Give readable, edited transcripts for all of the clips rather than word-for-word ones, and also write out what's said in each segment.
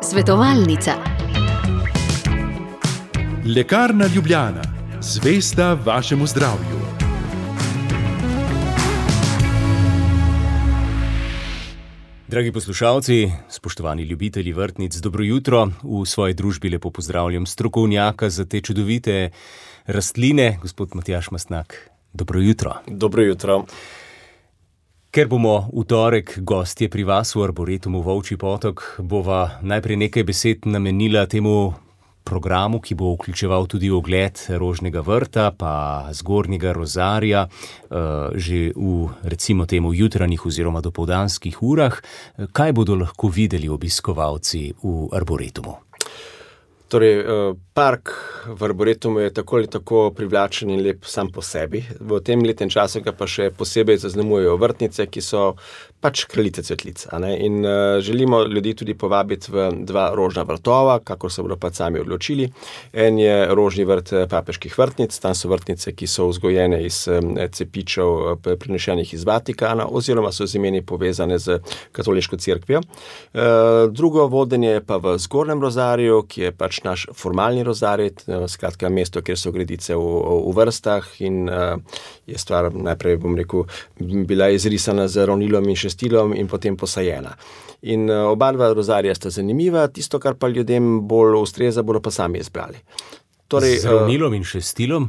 Svetovalnica. Lekarna Ljubljana, zvesta vašemu zdravju. Dragi poslušalci, spoštovani ljubitelji vrtnic, dobro jutro. V svoji družbi lepo pozdravljam strokovnjaka za te čudovite rastline, gospod Matjaž Mastnak. Dobro jutro. Dobro jutro. Ker bomo v torek gostje pri vas v Arboretumu Volčji Potok, bova najprej nekaj besed namenila temu programu, ki bo vključeval tudi ogled rožnega vrta pa zgornjega rozarja že v, recimo temu, jutranjih oziroma dopoldanskih urah. Kaj bodo lahko videli obiskovalci v Arboretumu? Torej, park v Arboretumu je tako ali tako privlačen in lep sam po sebi. V tem letnem času ga pa še posebej zaznamujejo vrtnice, ki so pač kraljice cvetlic. In želimo ljudi tudi povabiti v dva rožna vrtova, kakor se bodo pa sami odločili. En je rožni vrt papeških vrtnic, tam so vrtnice, ki so vzgojene iz cepičev prinešenih iz Vatikana oziroma so z imeni povezane z katoliško cerkvijo. Drugo vodenje je pa v zgornjem rozarju, ki je pač naš formalni rozarij, skratka mesto, kjer so gredice v vrstah in je stvar najprej, bom rekel, bila izrisana z ravnilom in šestilom in potem posajena. In oba dva rozarija sta zanimiva, tisto, kar pa ljudem bolj ustreza, bodo pa sami izbrali. Torej, z ravnilom in šestilom?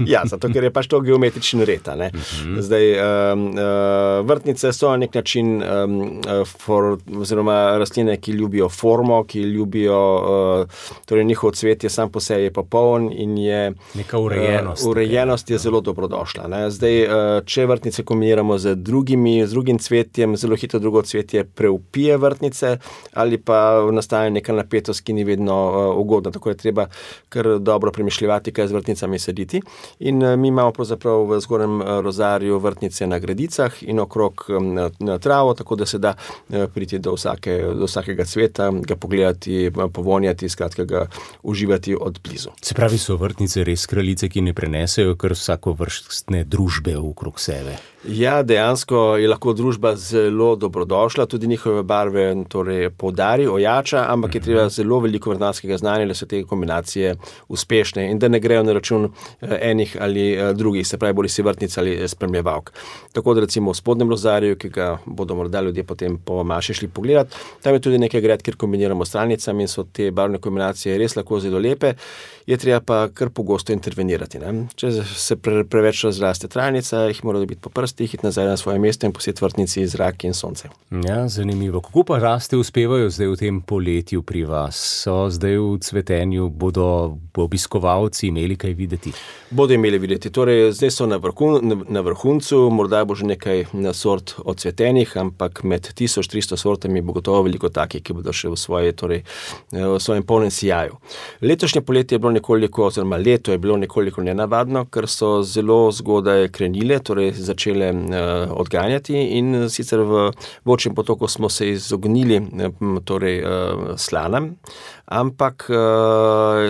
Ja, zato ker je pač to geometrični red. Zdaj, vrtnice so na nek način oziroma rastline, ki ljubijo formo, ki ljubijo, torej njihov cvet je sam po sebi popoln in je neka urejenost. Urejenost je zelo dobrodošla. Zdaj, če vrtnice kombiniramo z drugim cvetjem, zelo hitro drugo cvetje preupije vrtnice ali pa nastaja neka napetost, ki ni vedno ugodna. Tako je treba kar dobro premišljevati, kaj z vrtnicami saditi. In mi imamo pravzaprav v zgornjem rozarju vrtnice na gredicah in okrog na travo, tako da se da priti do vsakega cveta, ga pogledati, povonjati, skratka ga uživati od blizu. Se pravi, so vrtnice res kraljice, ki ne prenesejo kar vsakovrstne družbe okrog sebe? Ja, dejansko je lahko družba zelo dobrodošla, tudi njihove barve torej poudari, ojača, ampak je treba zelo veliko vrtnarskega znanja, da so te kombinacije uspešne in da ne grejo na račun enih ali drugih, se pravi, bodi si vrtnic ali spremljevalk. Tako da recimo v spodnjem rozarju, ki ga bodo morda ljudje potem po maši šli pogledati, tam je tudi nekaj gred, kjer kombiniramo s stranicami in so te barvne kombinacije res lahko zelo lepe, je treba pa kar pogosto intervenirati. Če se preveč razraste trajnica, jih mora dobiti po prstih, iti nazaj na svoje mesto in posjeti vrtnici zrak in sonce. Ja, zanimivo. Kako pa raste uspevajo zdaj v tem poletju pri vas? So zdaj v cvetenju, bodo obiskovalci imeli kaj videti? Bodo imeli videti. Torej, zdaj so na vrhuncu, morda bo že nekaj sort odsvetenih, ampak med 1300 sortami bo gotovo veliko takih, ki bodo še v svojem polnem sijaju. Letošnje poletje je bilo oziroma leto je bilo nekoliko nenavadno, ker so zelo zgodaj krenile, torej začele odganjati in sicer v Volčjem Potoku smo se izognili slanam, ampak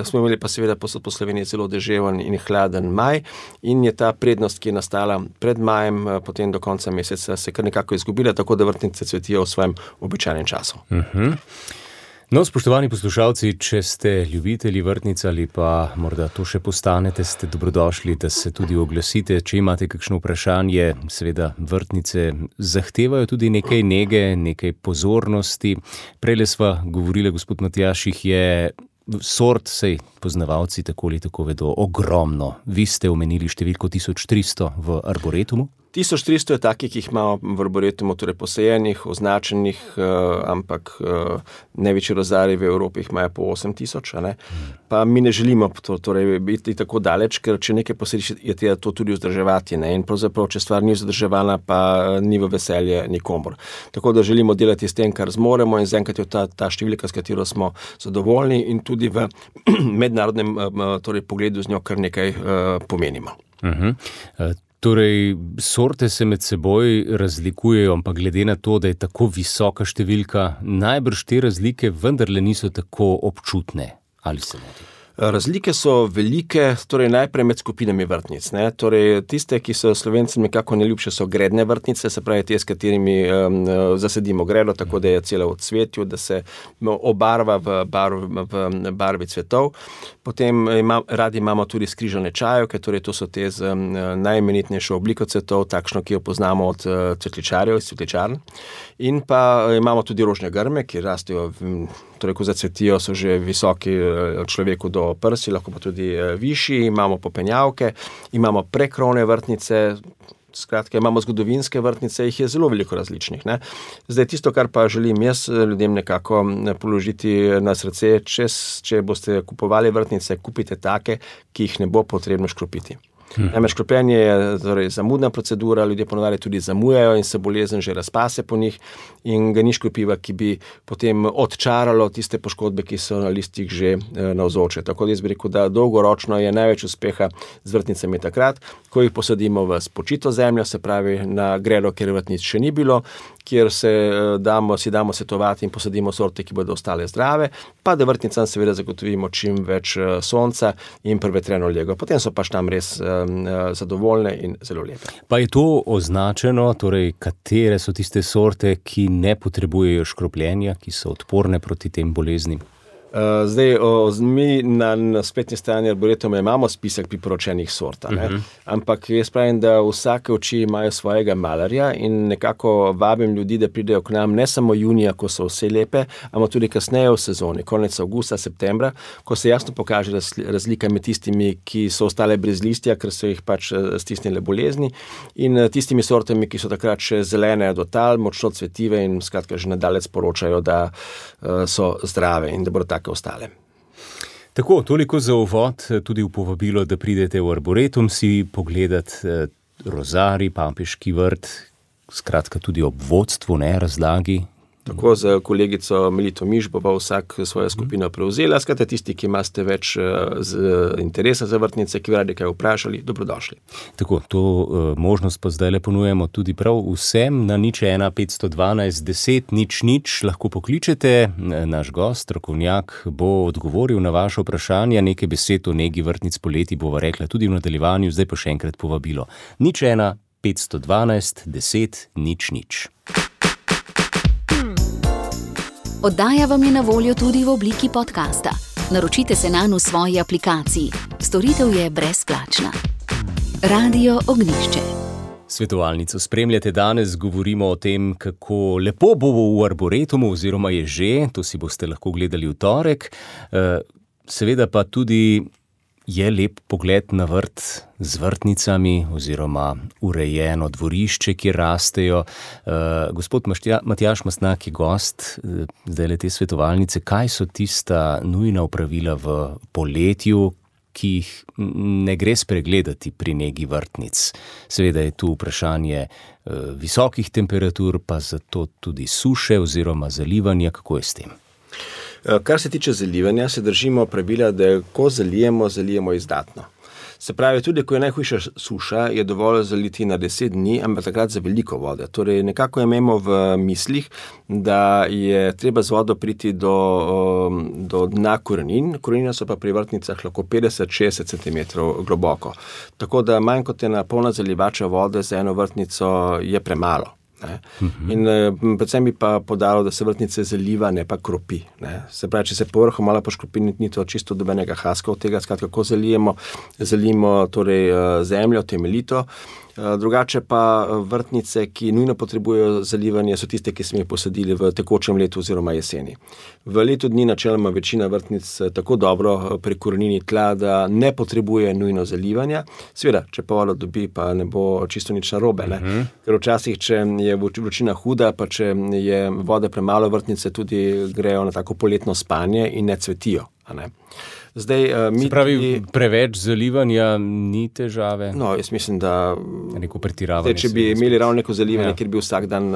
smo imeli pa seveda posod po Sloveniji zelo deževen in hladen maj in je ta prednost, ki je nastala pred majem, potem do konca meseca se kar nekako izgubila, tako da vrtnice cvetijo v svojem običajnem času. No, spoštovani poslušalci, če ste ljubitelji vrtnic ali pa morda to še postanete, ste dobrodošli, da se tudi oglasite. Če imate kakšno vprašanje, seveda vrtnice zahtevajo tudi nekaj nege, nekaj pozornosti. Prejle sva govorila, gospod Matjaž, jih je sort, sej poznavalci tako ali tako vedo, ogromno. Vi ste omenili številko 1300 v Arboretumu? 1300 je takih, ki jih imamo v Arboretumu, torej posajenih, označenih, ampak največji rozarji v Evropi jih imajo po 8000, Pa mi ne želimo biti tako daleč, ker če nekaj posadiš, je treba to tudi vzdrževati, In pravzaprav, če stvar ni vzdrževana, pa ni v veselje nikomor. Tako da želimo delati s tem, kar zmoremo in zaenkrat je ta številka, s katero smo zadovoljni in tudi v mednarodnem pogledu z njo kar nekaj pomenimo. Torej, sorte se med seboj razlikujejo, ampak glede na to, da je tako visoka številka, najbrž te razlike vendarle niso tako občutne. Ali se moti? Razlike so velike, torej najprej med skupinami vrtnic. Ne? Torej, tiste, ki so Slovencem nekako neljubše, so gredne vrtnice, se pravi te, s katerimi zasedimo gredo, tako da je cela v cvetju, da se obarva v barvi cvetov. Potem radi imamo tudi skrižane čajevke, torej to so te z najimenitnejšo obliko cvetov, takšno, ki jo poznamo od cvetličarjev iz cvetličarn. In pa imamo tudi rožne grme, ki rastejo, torej ko zacvetijo, so že visoki človeku do prsi, lahko pa tudi višji. Imamo popenjavke, imamo prekrovne vrtnice, skratka, imamo zgodovinske vrtnice, jih je zelo veliko različnih. Ne? Zdaj, tisto, kar pa želim jaz ljudem nekako položiti na srce, če boste kupovali vrtnice, kupite take, ki jih ne bo potrebno škropiti. Namreč škropljenje je torej zamudna procedura, ljudje ponavadi tudi zamujajo in se bolezen že razpase po njih in ga ni škropiva, ki bi potem odčaralo tiste poškodbe, ki so na listih že navzoče. Tako da jaz bi rekel, da dolgoročno je največ uspeha z vrtnicami takrat, ko jih posadimo v spočito zemljo, se pravi na gredo, kjer vrtnic še ni bilo, kjer si damo svetovati in posadimo sorte, ki bodo ostale zdrave, pa da vrtnicam seveda zagotovimo čim več sonca in prevetreno lego. Potem so pač tam res zadovoljne in zelo lepe. Pa je to označeno, torej katere so tiste sorte, ki ne potrebujejo škropljenja, ki so odporne proti tem boleznim? Zdaj, mi na spletni strani Arboretuma imamo spisek priporočenih sort, ampak jaz pravim, da vsake oči imajo svojega malarja in nekako vabim ljudi, da pridejo k nam ne samo junija, ko so vse lepe, ampak tudi kasneje v sezoni, konec avgusta, septembra, ko se jasno pokaže razlika med tistimi, ki so ostale brez listja, ker so jih pač stisnile bolezni, in tistimi sortami, ki so takrat še zelene do tal, močno cvetive in skratka že nadalje sporočajo, da so zdrave in da bodo take ostale. Tako, toliko za uvod, tudi v povabilo, da pridete v Arboretum si pogledati rozarij, pampeški vrt, skratka tudi ob vodstvu, ne, razlagi. Tako z kolegico Melito Miš bo pa vsak svojo skupino prevzela. Skratka, tisti, ki imate več interesa za vrtnice, ki bi radi kaj vprašali, dobrodošli. Tako, to možnost pa zdaj le ponujemo tudi prav vsem na 01 512 10 00, lahko pokličete. Naš gost, strokovnjak, bo odgovoril na vaše vprašanja, nekaj besed o negi vrtnic poleti bova rekla tudi v nadaljevanju, zdaj pa še enkrat povabilo. 01 512 10 00. Oddaja vam je na voljo tudi v obliki podcasta. Naročite se nanj v svoji aplikaciji. Storitev je brezplačna. Radio Ognjišče. Svetovalnico spremljate danes, govorimo o tem, kako lepo bo v Arboretumu, oziroma je že, to si boste lahko gledali v torek. Seveda pa tudi je lep pogled na vrt z vrtnicami oziroma urejeno dvorišče, kjer rastejo. Gospod Matjaž Mastnak je gost zdajle te svetovalnice. Kaj so tista nujna opravila v poletju, ki jih ne gre spregledati pri negi vrtnic? Seveda je tu vprašanje visokih temperatur, pa zato tudi suše oziroma zalivanja. Kako je s tem? Kar se tiče zalivanja, se držimo pravila, da ko zalijemo izdatno. Se pravi, tudi ko je najhujša suša, je dovolj zaliti na 10 dni, ampak takrat za veliko vode. Torej, nekako imamo v mislih, da je treba z vodo priti do dna korenin. Korenine so pa pri vrtnicah lahko 50-60 cm globoko. Tako da manj kot ena polna zalivača vode za eno vrtnico je premalo. Ne? In predvsem bi pa podalo, da se vrtnice zaliva, ne pa kropi. Ne? Se pravi, če se povrhu malo poškropi, ni to čisto dobenega haska od tega, skratka, kako zalijemo torej zemljo temeljito. Drugače pa vrtnice, ki nujno potrebujejo zalivanje, so tiste, ki smo jih posadili v tekočem letu oziroma jeseni. V letu dni načeloma večina vrtnic tako dobro prekorenini tla, da ne potrebuje nujno zalivanja. Seveda, če pa vodo dobi, pa ne bo čisto nič narobe. Ker včasih, če je vročina huda, pa če je vode premalo, vrtnice tudi grejo na tako poletno spanje in ne cvetijo. Ne? Zdaj, se pravi, preveč zalivanja ni težave? No, jaz mislim, da neko pretiravanje. Če bi imeli ravno neko zalivanje, kjer bi vsak dan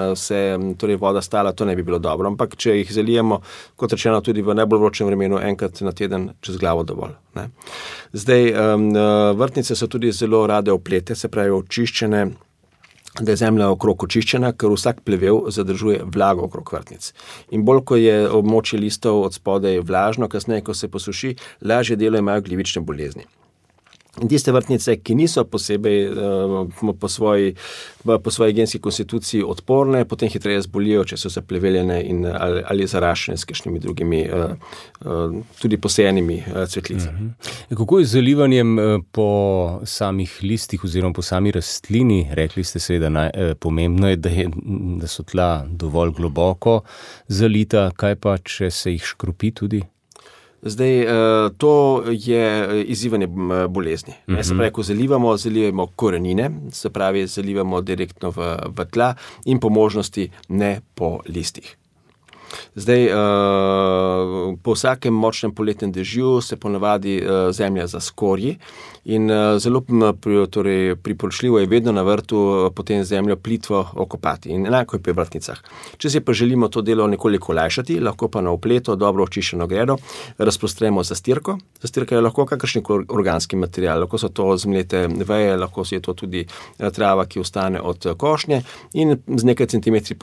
torej voda stala, to ne bi bilo dobro. Ampak če jih zalijemo, kot rečeno, tudi v najbolj vročem vremenu, enkrat na teden čez glavo dovolj. Ne? Zdaj, vrtnice so tudi zelo rade oplete, se pravi očiščene, da je zemlja okrog očiščena, ker vsak plevel zadržuje vlago okrog vrtnic. In bolj, ko je območje listov od spodaj vlažno, kasneje, ko se posuši, lažje delo imajo glivične bolezni. In tiste vrtnice, ki niso posebej po svoji genski konstituciji odporne, potem hitreje zbolijo, če so zapleveljene ali zaraščene s kakšnimi drugimi tudi posejenimi cvetlicami. Kako je z zalivanjem po samih listih oziroma po sami rastlini? Rekli ste seveda, pomembno je, da so tla dovolj globoko zalita, kaj pa, če se jih škropi tudi? Zdaj, to je izzivanje bolezni. Se pravi, ko zalivamo korenine, se pravi, zalivamo direktno v tla in po možnosti ne po listih. Zdaj, po vsakem močnem poletnem dežju se ponavadi zemlja zaskorji in zelo priporočljivo je vedno na vrtu potem zemljo plitvo okopati in enako je pri vrtnicah. Če si pa želimo to delo nekoliko olajšati, lahko pa na opleto dobro očiščeno gredo razprostremo zastirko. Zastirka je lahko kakršen organski material, lahko so to zmlete veje, lahko je to tudi trava, ki ostane od košnje in z nekaj centimetri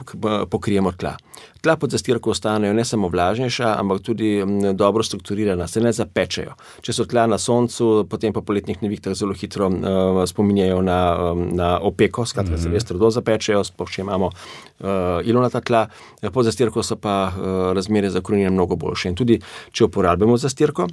pokrijemo tla. Tla pod zastirko ostanejo ne samo vlažnejša, ampak tudi dobro strukturirana, se ne zapečejo. Če so tla na soncu, potem po poletnih nevihtah zelo hitro spominjajo na opeko, skratka se res trdo zapečejo, sploh če imamo ilovnata tla, pod zastirko so pa razmere za korenine mnogo boljše. In tudi, če uporabljamo zastirko,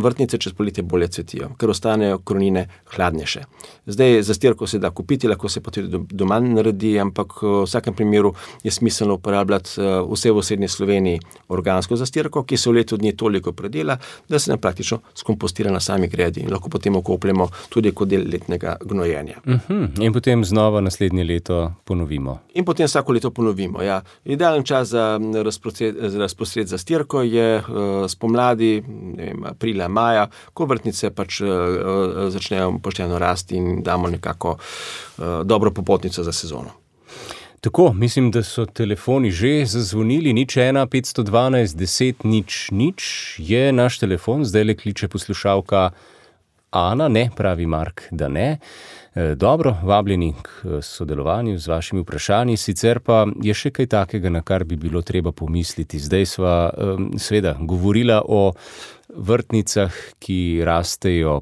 vrtnice čez poletje bolje cvetijo, ker ostanejo korenine hladnejše. Zdaj, zastirko se da kupiti, lahko se pa tudi doma naredi, ampak v vsakem primeru je smiselno uporabljati vse v srednji Sloveniji organsko zastirko, ki se v letu dni toliko predela, da se nam praktično skompostira na sami gredi in lahko potem okopljemo tudi kot del letnega gnojenja. In potem znova naslednje leto ponovimo. In potem vsako leto ponovimo, ja. Idealen čas za razprostret zastirko je spomladi, aprila, maja, ko vrtnice pač začnejo pošteno rasti in damo nekako dobro popotnico za sezono. Tako, mislim, da so telefoni že zazvonili, 01 512 10 00 je naš telefon, zdaj le kliče poslušalka Ana, ne, pravi Mark, da ne. Dobro, vabljeni k sodelovanju z vašimi vprašanji, sicer pa je še kaj takega, na kar bi bilo treba pomisliti. Zdaj sva seveda govorila o vrtnicah, ki rastejo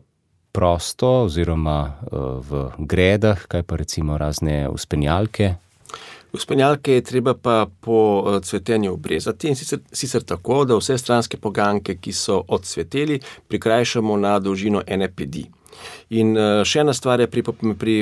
prosto oziroma v gredah, kaj pa recimo razne vzpenjalke. Vzpenjalke je treba pa po cvetenju obrezati in sicer tako, da vse stranske poganjke, ki so odcveteli, prikrajšamo na dolžino ene pedi. In še ena stvar je pri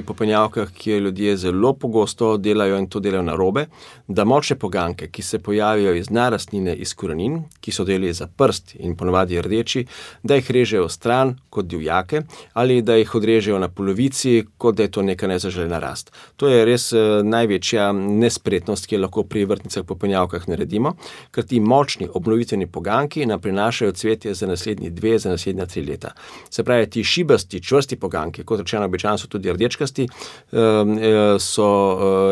popenjavkah, ki jo ljudje zelo pogosto delajo in to delajo narobe, da močne poganjke, ki se pojavijo iz dna rastline, iz korenin, ki so deli za prst in ponavadi rdeči, da jih režejo stran kot divjake ali da jih odrežejo na polovici, kot da je to neka nezaželena rast. To je res največja nespretnost, ki jo lahko pri vrtnicah popenjavkah naredimo, ker ti močni obnovitveni poganjki nam prinašajo cvetje za naslednji 2, za naslednja 3 leta. Se pravi, ti šibasti, čvrsti poganjki, kot rečeno, običajno so tudi rdečkasti, so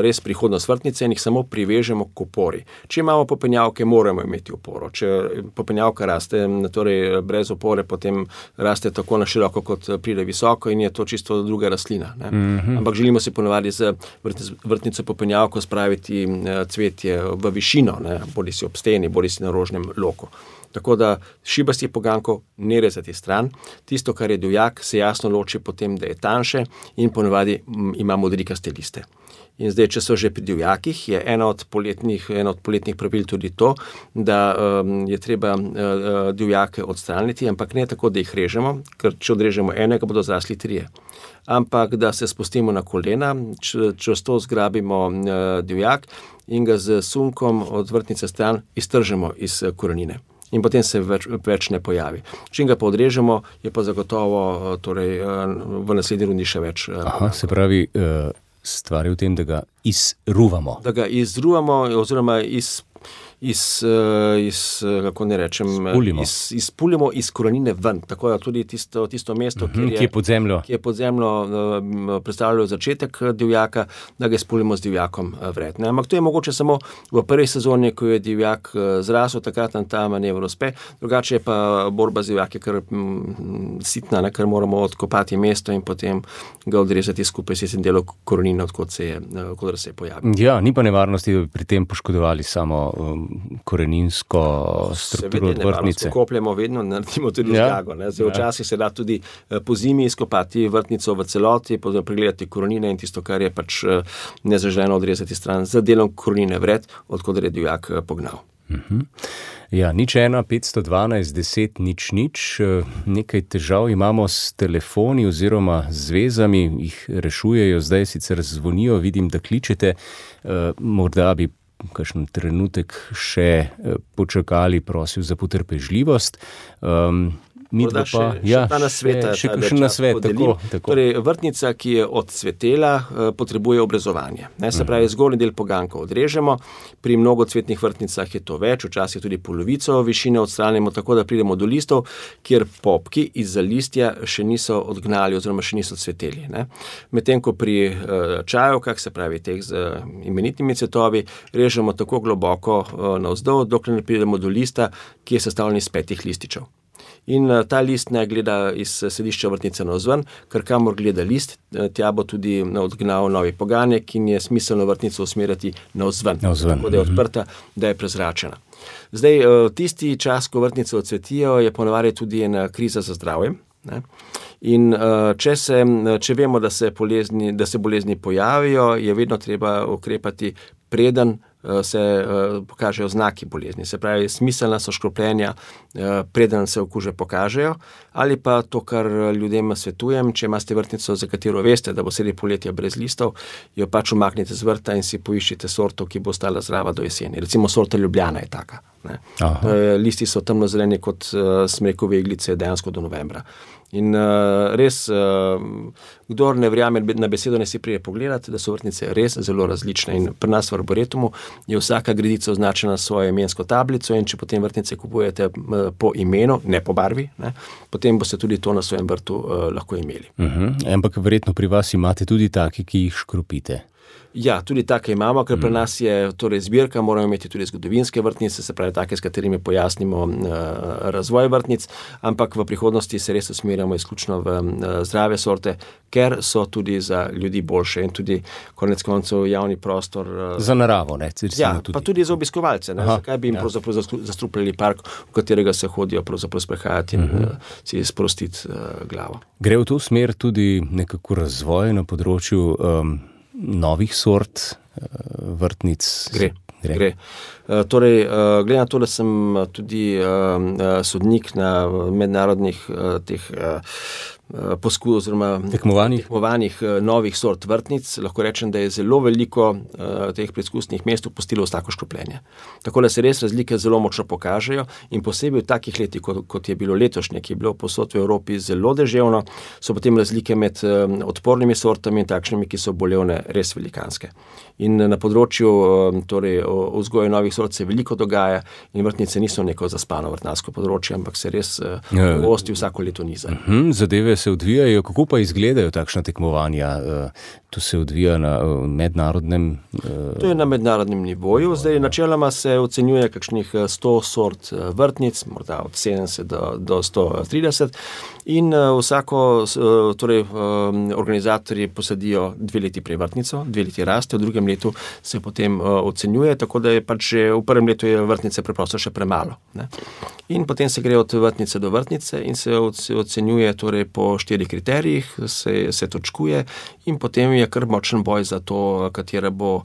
res prihodnost vrtnice in jih samo privežemo k opori. Če imamo popenjavke, moramo imeti oporo. Če popenjavka raste, torej brez opore, potem raste tako na široko, kot pride visoko in je to čisto druga rastlina. Ampak želimo si ponavadi z vrtnico popenjavko spraviti cvetje v višino, bodi si ob steni, bodi si na rožnem loku. Tako da šibastih poganjkov ne rezati stran. Tisto, kar je divjak, se jasno loči potem, da je tanjše in ponavadi ima modrikaste liste. In zdaj, če so že pri divjakih, je eno od poletnih pravil tudi to, da je treba divjake odstraniti, ampak ne tako, da jih režemo, ker če odrežemo enega, bodo zrasli 3. Ampak da se spustimo na kolena, čvrsto zgrabimo divjak in ga z sunkom od vrtnice stran iztržemo iz korenine. In potem se več ne pojavi. Čim ga pa odrežemo, je pa zagotovo v naslednji rundi še več. Se pravi, stvar je v tem, da ga izruvamo. Da ga izruvamo oziroma kako ne rečem, izpulimo iz korenine ven, tako da tudi tisto mesto, ki je pod zemljo, predstavljalo začetek divjaka, da ga izpulimo z divjakom vred. Ampak to je mogoče samo v prvi sezoni, ko je divjak zrasel, takrat nam ta manever uspe, drugače je pa borba z divjaki kar sitna, ker moramo odkopati mesto in potem ga odrezati skupaj s tem delom korenine, odkot se je pojavil. Ja, ni pa nevarnosti, da bi pri tem poškodovali samo koreninsko strukturo od vrtnice. Kopljamo vedno, naredimo tudi zgago. Včasih se da tudi po zimi izkopati vrtnico v celoti, pregledati korenine in tisto, kar je pač nezaželeno odrezati stran z delom korenine vred, odkot je divjak pognal. Ja, 01 512 10 0 0, nekaj težav imamo s telefoni oziroma z vezami, jih rešujejo, zdaj sicer zvonijo, vidim, da kličete, morda bi kakšen trenutek še počakali, prosil za potrpežljivost. Morda še kakšen nasvet. Torej, vrtnica, ki je odcvetela, potrebuje obrezovanje. Se pravi, zgornji del poganjka odrežemo, pri mnogocvetnih vrtnicah je to več, včasih tudi polovico višine odstranimo, tako da pridemo do listov, kjer popki izza listja še niso odgnali oziroma še niso cveteli. Medtem ko pri čajovkah, se pravi teh z imenitnimi cvetovi, režemo tako globoko navzdol, dokler ne pridemo do lista, ki je sestavljen iz 5 lističev. In ta list ne gleda iz središča vrtnice navzven, ker kamor gleda list, tja bo tudi odgnal novi poganjek in je smiselno vrtnico usmerjati navzven, tako da je odprta, da je prezračena. Zdaj, tisti čas, ko vrtnice odcvetijo, je ponavadi tudi ena kriza za zdravje. In če vemo, da se bolezni pojavijo, je vedno treba ukrepati, preden se pokažejo znaki bolezni. Se pravi, smiselna so škropljenja, preden se okuže pokažejo, ali pa to, kar ljudem svetujem, če imate vrtnico, za katero veste, da bo sredi poletja brez listov, jo pač umaknite z vrta in si poiščite sorto, ki bo ostala zdrava do jeseni. Recimo sorta Ljubljana je taka. Listi so temno zeleni kot smrekove iglice dejansko do novembra. In res, kdor ne verjame na besedo, ne si prije pogledati, da so vrtnice res zelo različne. In pri nas v Arboretumu je vsaka gredica označena s svojo imensko tablico in če potem vrtnice kupujete po imenu, ne po barvi, potem boste tudi to na svojem vrtu lahko imeli. Ampak verjetno pri vas imate tudi take, ki jih škropite. Ja, tudi take imamo, ker pri nas je torej zbirka, moramo imeti tudi zgodovinske vrtnice, se pravi take, s katerimi pojasnimo razvoj vrtnic, ampak v prihodnosti se res usmerjamo izključno v zdrave sorte, ker so tudi za ljudi boljše in tudi konec koncev javni prostor. Za naravo, ne? Ja, pa tudi za obiskovalce. Zakaj bi jim pravzaprav zastrupljali park, v katerega se hodijo pravzaprav sprehajati in si sprostiti glavo. Gre v to smer tudi nekako razvoj na področju novih sort vrtnic? Gre. Torej, glede na to, da sem tudi sodnik na mednarodnih tekmovanjih novih sort vrtnic, lahko rečem, da je zelo veliko teh preizkusnih mest upustilo vsako škropljenje. Tako da se res razlike zelo močno pokažejo in posebej v takih letih, kot je bilo letošnje, ki je bilo povsod v Evropi zelo deževno, so potem razlike med odpornimi sortami in takšnimi, ki so bolevne, res velikanske. In na področju vzgoje novih sort se veliko dogaja in vrtnice niso neko zaspano vrtnarsko področje, ampak se res gosti vsako leto niza. Zadeve se odvijajo, kako pa izgledajo takšna tekmovanja? To se odvija na mednarodnem... To je na mednarodnem nivoju. Zdaj, načeloma se ocenjuje kakšnih 100 sort vrtnic, morda od 70 do 130 in organizatorji posadijo 2 leti prej vrtnico, 2 leti raste, v drugem letu se potem ocenjuje, tako da je pač že v prvem letu je vrtnice preprosto še premalo. In potem se gre od vrtnice do vrtnice in se ocenjuje po 4 kriterijih, se točkuje in potem je kar močen boj za to, katera bo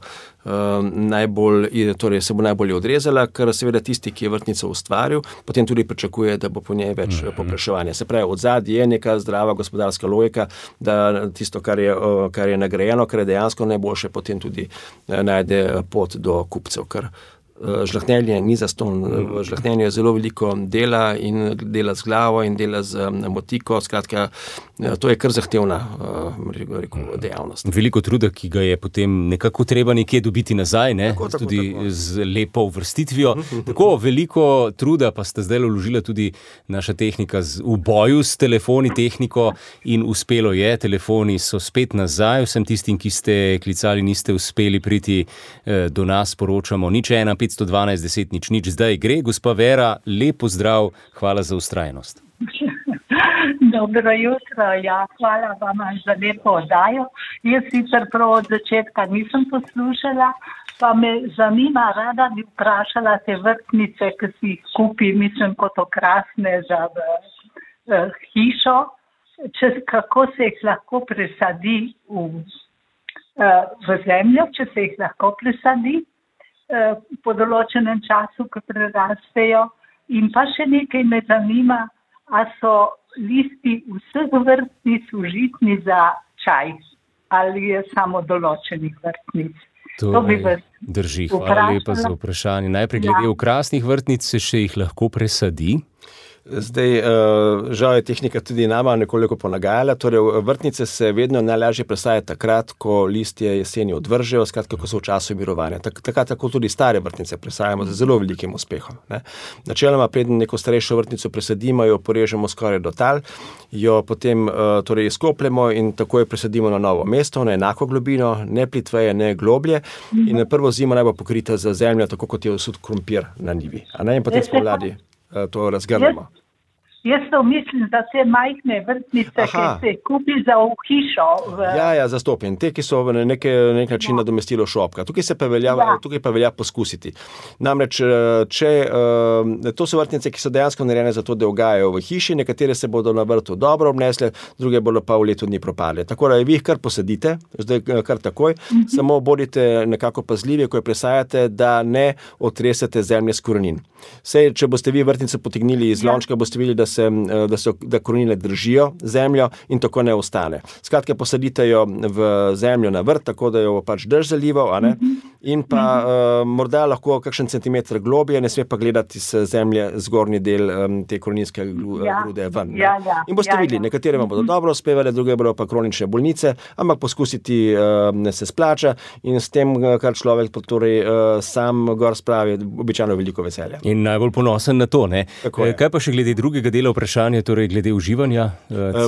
se bo najbolje odrezala, ker seveda tisti, ki je vrtnico ustvaril, potem tudi pričakuje, da bo po njej več povpraševanja. Se pravi, odzadaj je neka zdrava gospodarska logika, da tisto, kar je nagrajeno, kar je dejansko najboljše, potem tudi najde pot do kupcev, ker žlahtnjenje ni zastonj. V žlahtnjenju je zelo veliko dela in dela z glavo in dela z motiko. Skratka, to je kar zahtevna dejavnost. Veliko truda, ki ga je potem nekako treba nekje dobiti nazaj, ne? Tudi z lepo uvrstitvijo. Tako veliko truda pa sta zdaj vložila tudi naša tehnika v boju s telefoni, tehniko in uspelo je. Telefoni so spet nazaj. Vsem tistim, ki ste klicali, niste uspeli priti do nas, poročamo 01 512 10 00. Zdaj gre. Gospa Vera, lep pozdrav, hvala za vztrajnost. Dobro jutro, hvala vam za lepo oddajo. Jaz sicer prav od začetka nisem poslušala, pa me zanima, rada bi vprašala te vrtnice, ki si jih kupi, mislim, kot okrasne za hišo, kako se jih lahko presadi v zemljo, če se jih lahko presadi po določenem času, ko prerastejo. In pa še nekaj me zanima, a so listi vseh vrtnic užitni za čaj ali je samo določenih vrtnic? To bi vas drži, hvala lepa za vprašanje. Najprej glede okrasnih vrtnic, se še jih lahko presadi? Zdaj, žal je tehnika tudi nama nekoliko ponagajala. Torej, vrtnice se vedno najlažje presajajo takrat, ko listje jeseni odvržejo, skratka, ko so v času mirovanja. Tako tudi stare vrtnice presajamo z zelo velikim uspehom. Ne. Načeloma, preden neko starejšo vrtnico presadimo, jo porežemo skoraj do tal, jo potem torej izkopljemo in takoj presadimo na novo mesto, na enako globino, ne plitveje, ne globlje. In prvo zimo naj bo pokrita z zemljo, tako kot je usud krompir na njivi. In potem spomladi to razgrnemo. Jaz to mislim za te majhne vrtnice, ki se kupi za v hišo. Ja, zastopim. Te, ki so na nek način nadomestilo šopka. Tukaj pa velja poskusiti. Namreč, to so vrtnice, ki so dejansko narejene za to, da ugajajo v hiši, nekatere se bodo na vrtu dobro obnesle, druge bodo pa v letu dni propale. Tako da vi jih kar posadite, zdaj kar takoj, samo bodite nekako pazljivi, ko jo presajate, da ne otresete zemlje s korenin. Sej, če boste vi vrtnico potegnili iz lončka, boste videli, da korenine držijo zemljo in tako ne ostane. Skratka, posadite jo v zemljo na vrt, tako da jo pač drž zalival, a ne? In pa morda lahko kakšen centimeter globje, ne sme pa gledati z zemlje zgornji del te koreninske grude ven. In boste videli, nekatere vam bodo dobro uspevale, druge bodo pa kronične bolnice, ampak poskusiti se splača in s tem, kar človek torej sam gor spravi, običajno veliko veselja. In najbolj ponosen na to, ne? Kaj pa še glede drugega dela vprašanja, torej glede uživanja?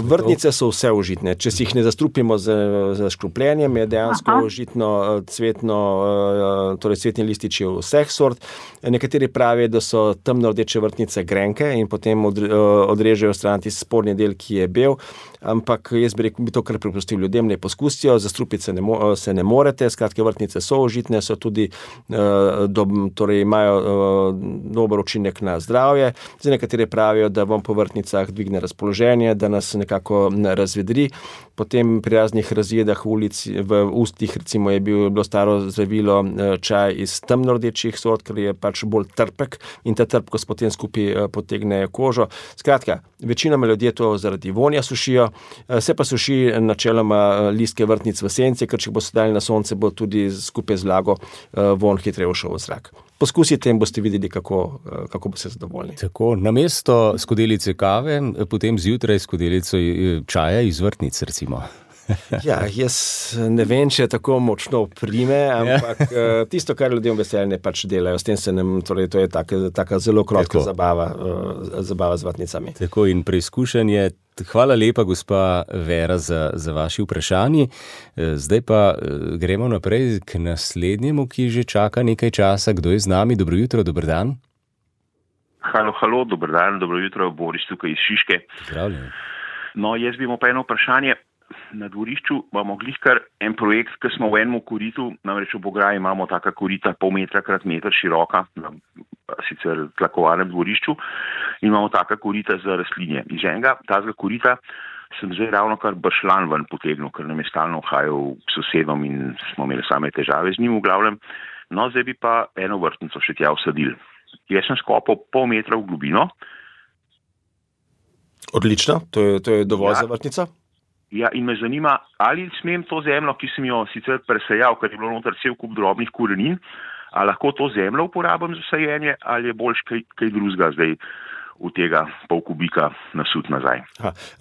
Vrtnice so vse užitne. Če si jih ne zastrupimo z škropljenjem, je dejansko užitno cvetni lističi vseh sort. Nekateri pravijo, da so temno rdeče vrtnice grenke in potem odrežejo stran tisti spodnji del, ki je bel. Ampak jaz bi to kar prepustil ljudem, ne poskusijo, zastrupiti se ne morete. Skratka, vrtnice so užitne, so tudi torej imajo dober učinek na zdravje. Zdaj nekateri pravijo, da vam po vrtnicah dvigne razpoloženje, da nas nekako razvedri. Potem pri raznih razjedah v ustih, recimo, je bilo staro zdravilo čaj iz temno rdečih sort, ker je pač bolj trpek in ta trpkost potem skupaj potegne kožo. Skratka, večinoma ljudje to zaradi vonja sušijo, se pa suši načeloma listke vrtnic v senci, ker če bo se dali na sonce, bo tudi skupaj z vlago von hitreje šel v zrak. Poskusite in boste videli, kako boste zadovoljni. Tako, namesto skodelice kave, potem zjutraj skodelico čaja iz vrtnic, recimo. Ja, jaz ne vem, če je tako močno prime, ampak tisto, kar ljudem veselje pač delajo, s tem torej to je taka zelo krotka zabava z vrtnicami. Tako in preizkušanje. Hvala lepa, gospa Vera, za vaši vprašanji. Zdaj pa gremo naprej k naslednjemu, ki že čaka nekaj časa. Kdo je z nami? Dobro jutro, dober dan. Halo, dober dan, dobro jutro, Boris tukaj iz Šiške. Zdravljen. No, jaz bi imel pa eno vprašanje. Na dvorišču imamo glihkar en projekt, ki smo v enem koritu, namreč v Bograji imamo taka korita pol metra krat meter široka, na sicer tlakovanem dvorišču, in imamo taka korita za rastlinje. Iz enega tazga korita sem zdaj ravno kar bršlan ven potegnil, ker nam je stalno uhajal k sosedom in smo imeli same težave z njim v glavnem. No, zdaj bi pa eno vrtnico še tja vsadil. Jaz sem skopal pol metra v globino. Odlično, to je dovolj za vrtnico. Ja, in me zanima, ali smem to zemljo, ki sem jo sicer presejal, ker je bilo noter cel kup drobnih korenin, a lahko to zemljo uporabim za sajenje ali je boljš kaj drugega zdaj v tega pol kubika nasut nazaj.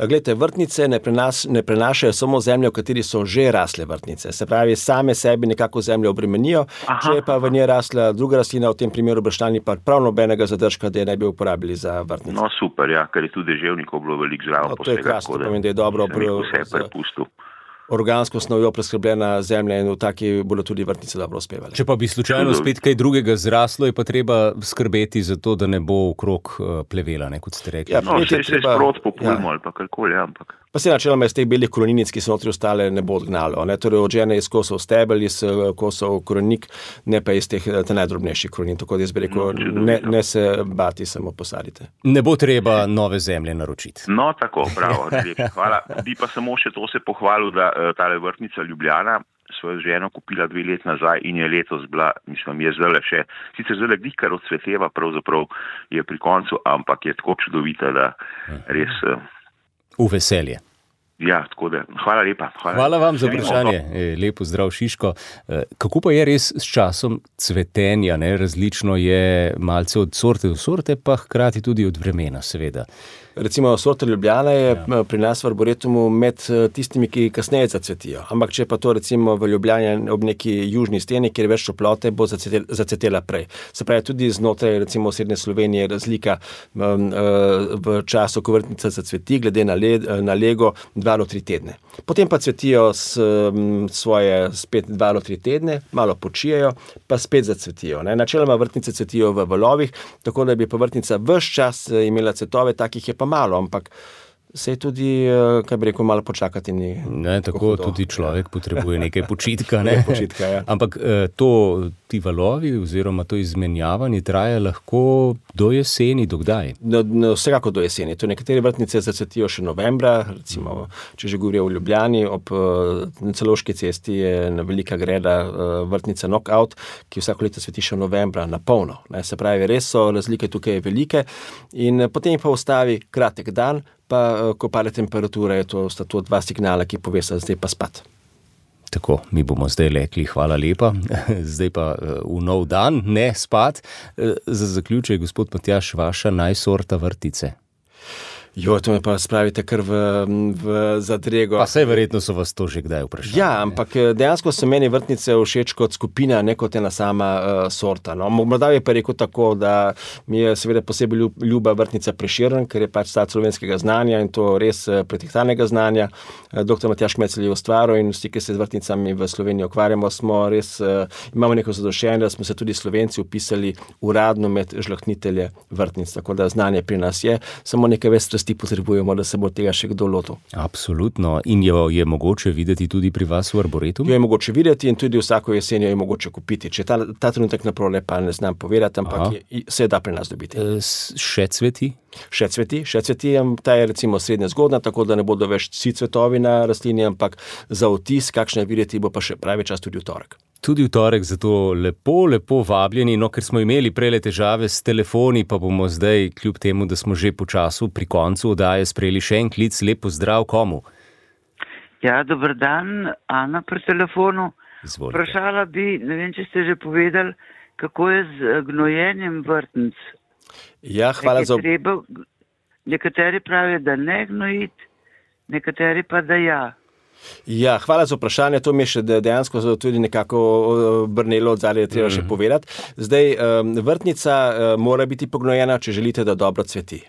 Glejte, vrtnice ne prenašajo samo zemljo, v kateri so že rasle vrtnice. Se pravi, same sebi nekako zemljo obremenijo, če je pa v njej rasla druga rastlina, v tem primeru bršljani, pa prav nobenega zadržka, da je ne bi uporabili za vrtnice. No super, ja, ker je tudi deževnikov bilo veliko zraven. To je krasno, pomeni, da je dobro vse prepustil. Organsko snovjo preskrbljena zemlja in v taki bodo tudi vrtnice dobro uspevali. Če pa bi slučajno spet kaj drugega zraslo, je pa treba skrbeti za to, da ne bo okrog plevela, kot ste rekli. Ja, se sprot populmo ali pa karkoli, ampak. Pa se načeloma iz teh belih koreninic, ki so notri ostale, ne bo odgnalo. Torej odžene iz kosov stebel, iz kosov korenik, ne pa iz teh najdrobnejših korenin. Tako da jaz bi rekel, ne se bati, samo posadite. Ne bo treba nove zemlje naročiti. No, tako, bravo, hvala. Bi pa samo še to se pohvalil, da tale vrtnica Ljubljana svojo ženo kupila 2 leti nazaj in je letos bila, mislim, je zdaj še, sicer zdaj kar odsveteva, pravzaprav je pri koncu, ampak je tako čudovita, da res... V veselje. Ja, tako da, hvala lepa. Hvala vam za vprašanje. Lepo zdrav, Šiško. Kako pa je res s časom cvetenja? Različno je malce od sorte do sorte, pa hkrati tudi od vremena, seveda. Recimo sorta Ljubljana je pri nas v Arboretumu med tistimi, ki kasneje zacvetijo. Ampak če pa to recimo v Ljubljani ob neki južni steni, kjer je več toplote, bo zacvetela prej. Se pravi, tudi znotraj recimo srednje Slovenije je razlika v času, ko vrtnica zacveti, glede na lego 2 do 3 tedne. Potem pa cvetijo svoje spet 2 do 3 tedne, malo počijejo, pa spet zacvetijo. Načeloma vrtnice cvetijo v valovih, tako da bi pa vrtnica ves čas imela cvetove, takih je pa malo, ampak se je tudi, kaj bi rekel, malo počakati. Tako tudi človek potrebuje nekaj počitka. Počitka, ja. Ampak ti valovi oziroma to izmenjavanje traja lahko do jeseni, do kdaj? Vsekako do jeseni. To nekatere vrtnice zacvetijo še novembra, recimo, če že govorijo v Ljubljani, ob Celovški cesti je velika greda vrtnica Knockout, ki vsako leto cveti še novembra na polno. Se pravi, res so razlike tukaj velike in potem pa ustavi kratek dan, pa ko pade temperatura, sta to 2 signala, ki povesta, zdaj pa spat. Tako, mi bomo zdaj rekli hvala lepa, zdaj pa v nov dan, ne spat. Za zaključek, gospod Matjaž, vaša najsorta vrtice. To me pa spravite kar v zadrego. Pa saj verjetno so vas to že kdaj vprašali. Ja, ampak dejansko so meni vrtnice všeč kot skupina, ne kot ena sama sorta. Morda je pa rekel tako, da mi je seveda posebej ljuba vrtnica Prešeren, ker je pač stat slovenskega znanja in to res pretehtanega znanja. Dr. Matjaž Kmecel je ustvaril in vsi, ki se z vrtnicami v Sloveniji ukvarjamo, smo res, imamo neko zadoščenje, da smo se tudi Slovenci upisali uradno med žlahtnitelje vrtnic, tako da znanje pri nas je, samo nekaj več strasti potrebujemo, da se bo tega še kdo lotil. Absolutno. In jo je mogoče videti tudi pri vas v Arboretumu? Jo je mogoče videti in tudi vsako jesen jo je mogoče kupiti. Če ta trenutek naprole pa ne znam povedati, ampak se da pri nas dobiti. Še cveti? Še cveti, ta je recimo srednje zgodna, tako da ne bodo več vsi cvetovi na rastlini, ampak za vtis, kakšne videti, bo pa še pravi čas tudi v torek. Tudi v torek, zato lepo vabljeni, ker smo imeli prejle težave s telefoni, pa bomo zdaj, kljub temu, da smo že počasu pri koncu oddaje sprejeli še en klic. Lep pozdrav komu? Ja, dober dan, Ana pri telefonu. Izvolite. Vprašala bi, ne vem, če ste že povedali, kako je z gnojenjem vrtnic. Ja, hvala za... Nekateri pravijo, da ne gnojiti, nekateri pa da ja. Ja, hvala za vprašanje, to mi je še dejansko tudi nekako brnelo od zadaj, je treba še povedati. Zdaj, vrtnica mora biti pognojena, če želite, da dobro cveti.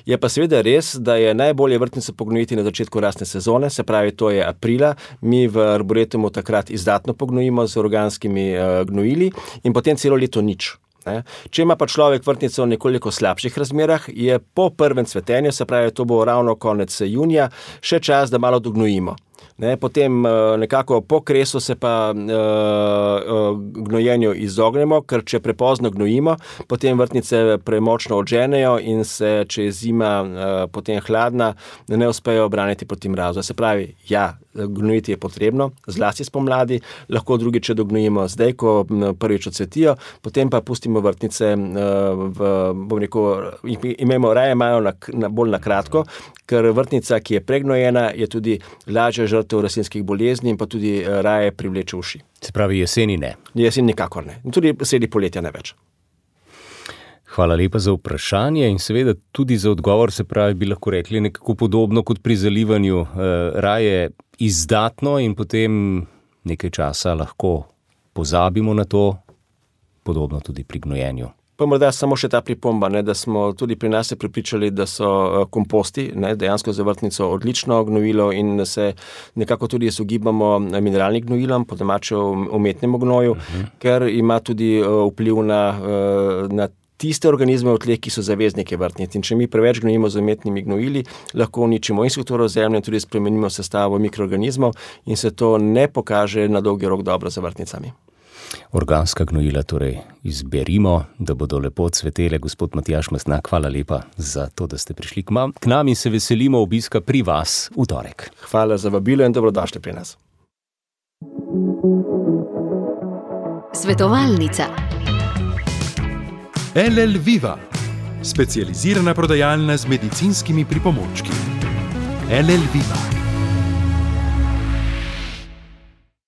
Je pa seveda res, da je najbolje vrtnico pognojiti na začetku rastne sezone, se pravi, to je aprila. Mi v Arboretumu takrat izdatno pognojimo z organskimi gnojili in potem celo leto nič. Če ima pa človek vrtnico v nekoliko slabših razmerah, je po prvem cvetenju, se pravi, to bo ravno konec junija, še čas, da malo dognojimo. Potem nekako po kresu se pa gnojenju izognemo, ker če prepozno gnojimo, potem vrtnice premočno odženejo in se, če je zima potem hladna, ne uspejo obraniti proti mrazu. Se pravi, ja, gnojiti je potrebno, zlasti spomladi, lahko drugič dognojimo zdaj, ko prvič odcvetijo, potem pa pustimo vrtnice imamo raje malo bolj na kratko, ker vrtnica, ki je pregnojena, je tudi lažje žrtev rastlinskih bolezni in pa tudi raje privleče uši. Se pravi, jeseni ne. Jesen nikakor ne. Tudi sredi poletja ne več. Hvala lepa za vprašanje in seveda tudi za odgovor, se pravi, bi lahko rekli nekako podobno kot pri zalivanju, raje izdatno in potem nekaj časa lahko pozabimo na to, podobno tudi pri gnojenju. Pa morda samo še ta pripomba, da smo tudi pri nas se prepričali, da so komposti dejansko za vrtnico odlično gnojilo in se nekako tudi izogibamo mineralnim gnojilom, po domače umetnemu gnoju, ker ima tudi vpliv na tiste organizme v tleh, ki so zaveznike vrtnic. In če mi preveč gnojimo z umetnimi gnojili, lahko uničimo in strukturo zemlje, tudi spremenimo sestavo mikroorganizmov in se to ne pokaže na dolgi rok dobro za vrtnicami. Organska gnojila torej izberimo, da bodo lepo cvetele. Gospod Matjaž Mastnak, hvala lepa za to, da ste prišli k nam in se veselimo obiska pri vas v torek. Hvala za vabilo in dobrodošli pri nas. Svetovalnica. LL Viva, specializirana prodajalna z medicinskimi pripomočki. LL Viva.